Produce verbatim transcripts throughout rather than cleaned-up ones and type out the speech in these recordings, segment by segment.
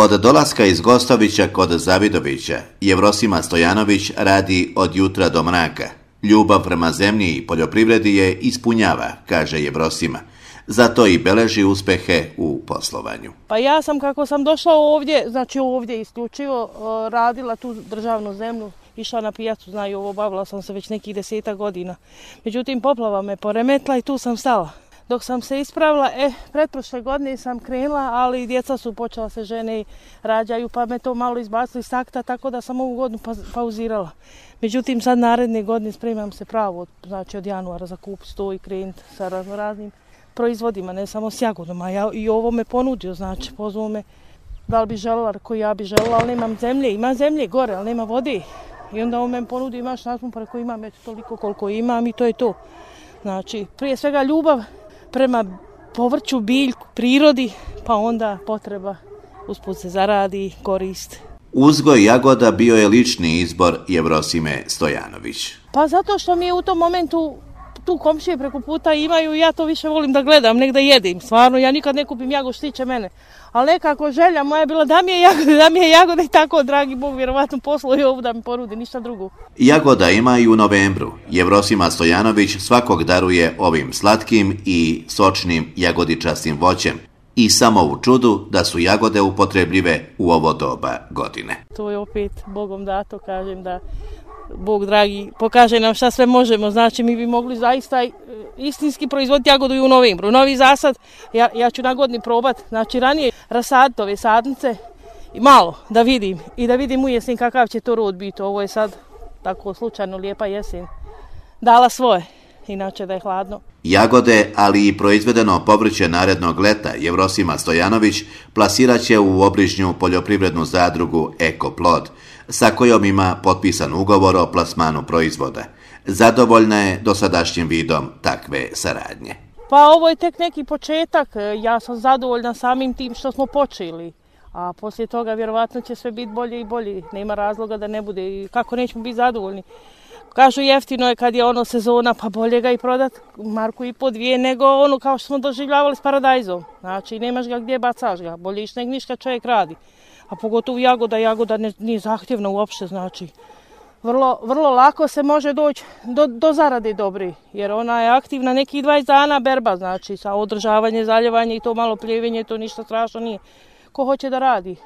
Od dolaska iz Gostovića kod Zavidovića, Jevrosima Stojanović radi od jutra do mraka. Ljubav prema zemlji i poljoprivredi je ispunjava, kaže Jevrosima. Zato i beleži uspehe u poslovanju. Pa ja sam kako sam došla ovdje, znači ovdje isključivo radila tu državnu zemlju, išla na pijacu, znaju ovo, bavila sam se već nekih deseta godina. Međutim, poplava me poremetla i tu sam stala. Dok sam se ispravila, e, pretprošle godine sam krenula, ali djeca su počela se žene i rađaju, pa me to malo izbacili iz takta, tako da sam ovu godinu pa- pauzirala. Međutim, sad naredne godine spremam se pravo, znači od januara zakupiti to i krenuti sa raznim proizvodima, ne samo s jagodom, a ja, i ovo me ponudio, znači pozvao me da li bi željela, koji ja bi željela, ali nemam zemlje, ima zemlje gore, ali nema vode. I onda on me ponudio, imaš nazmu, pa rekao imam, eto toliko koliko imam i to je to. Znači, prije svega ljubav prema povrću, biljku, prirodi, pa onda potreba usput se zaradi, korist. Uzgoj jagoda bio je lični izbor Jevrosime Stojanović. Pa zato što mi je u tom momentu tu komšije preko puta imaju i ja to više volim da gledam, nek da jedim. Stvarno, ja nikad ne kupim jagod što tiče mene. Ali nekako želja moja je bila da mi je jagode, da mi je jagode i tako, dragi Bog, vjerovatno poslo i ovu da mi porudi, ništa drugo. Jagoda ima i u novembru. Jevrosima Stojanović svakog daruje ovim slatkim i sočnim jagodičastim voćem. I samo u čudu da su jagode upotrebljive u ovo doba godine. To je opet Bogom dato, kažem da Bog dragi pokaže nam šta sve možemo, znači mi bi mogli zaista istinski proizvoditi jagodu i u novembru. Novi zasad, ja, ja ću na godini probati, znači ranije rasaditi ove sadnice i malo da vidim i da vidim u jesen kakav će to rod biti. Ovo je sad tako slučajno lijepa jesen dala svoje, inače da je hladno. Jagode, ali i proizvedeno povrće narednog leta Jevrosima Stojanović plasirat će u obližnju poljoprivrednu zadrugu Ekoplod, sa kojom ima potpisan ugovor o plasmanu proizvoda. Zadovoljna je dosadašnjim vidom takve saradnje. Pa ovo je tek neki početak, ja sam zadovoljna samim tim što smo počeli, a poslije toga vjerovatno će sve biti bolje i bolje, nema razloga da ne bude i kako nećemo biti zadovoljni. Kažu jeftino je kad je ono sezona, pa bolje ga i prodat marku i po dvije nego ono kao što smo doživljavali s paradajzom. Znači nemaš ga gdje, bacaš ga, bolje iš nego ništa čovjek radi. A pogotovo jagoda, jagoda ne, nije zahtjevna uopšte, znači vrlo, vrlo lako se može doći do, do zarade dobri, jer ona je aktivna nekih dvadeset dana berba, znači sa održavanje, zaljevanje i to malo pljevenje, to ništa strašno nije. Ko hoće da radi,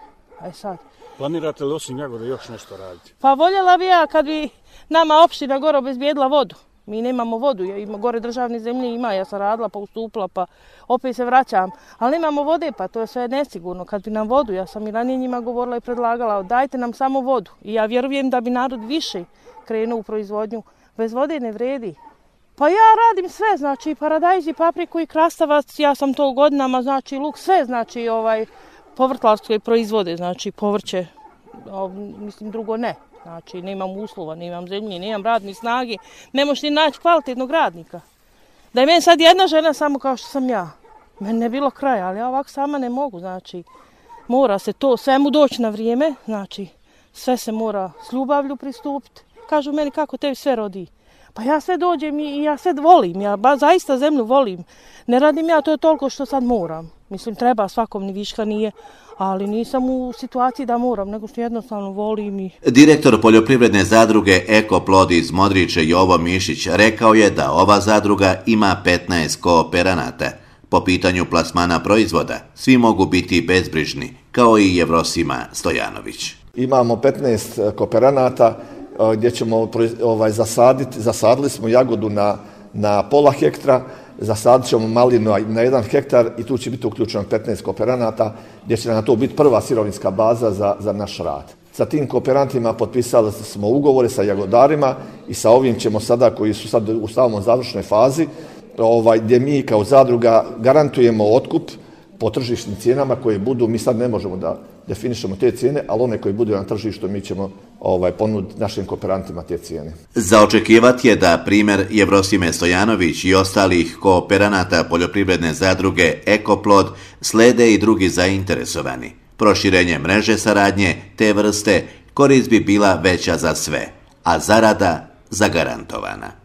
aj sad. Planirate li osim jagode još nešto raditi? Pa voljela bi ja kad bi nama opština gore obezbijedila vodu. Mi nemamo vodu, ja ima gore državne zemlje ima, ja sam radila pa ustupila pa opet se vraćam. Ali nemamo vode pa to je sve nesigurno. Kad bi nam vodu, ja sam i ranije njima govorila i predlagala, dajte nam samo vodu. I ja vjerujem da bi narod više krenuo u proizvodnju. Bez vode ne vredi. Pa ja radim sve, znači paradajz i papriku i krastavac, ja sam to godinama, znači luk, sve znači ovaj povrtlarske proizvode, znači povrće, mislim drugo ne. Znači, nemam uslova, nemam zemlje, nemam radne snage, ne možeš ni naći kvalitetnog radnika. Da je meni sad jedna žena samo kao što sam ja, meni ne bilo kraja, ali ja ovako sama ne mogu, znači, mora se to svemu doći na vrijeme, znači, sve se mora s ljubavlju pristupiti. Kažu meni kako tebi sve rodi. Pa ja sve dođem i ja sve volim, ja ba, zaista zemlju volim. Ne radim ja to je toliko što sad moram. Mislim, treba svakom, ni viška nije, ali nisam u situaciji da moram, nego što jednostavno volim. I... Direktor poljoprivredne zadruge Ekoplod iz Modriče Jovo Mišić rekao je da ova zadruga ima petnaest kooperanata. Po pitanju plasmana proizvoda, svi mogu biti bezbrižni, kao i Jevrosima Stojanović. Imamo petnaest kooperanata gdje ćemo ovaj, zasaditi, zasadili smo jagodu na, na pola hektra, zasadit ćemo malinu na jedan hektar i tu će biti uključeno petnaest kooperanata gdje će na to biti prva sirovinska baza za, za naš rad. Sa tim kooperantima potpisali smo ugovore sa jagodarima i sa ovim ćemo sada, koji su sad u samom završnoj fazi, ovaj, gdje mi kao zadruga garantujemo otkup po tržišnim cijenama koje budu, mi sad ne možemo da definišemo te cijene, ali one koje budu na tržištu mi ćemo ovaj, ponuditi našim kooperantima te cijene. Za očekivati je da primjer Jevrosime Stojanović i ostalih kooperanata poljoprivredne zadruge Ekoplod slede i drugi zainteresovani. Proširenje mreže saradnje te vrste korist bi bila veća za sve, a zarada zagarantovana.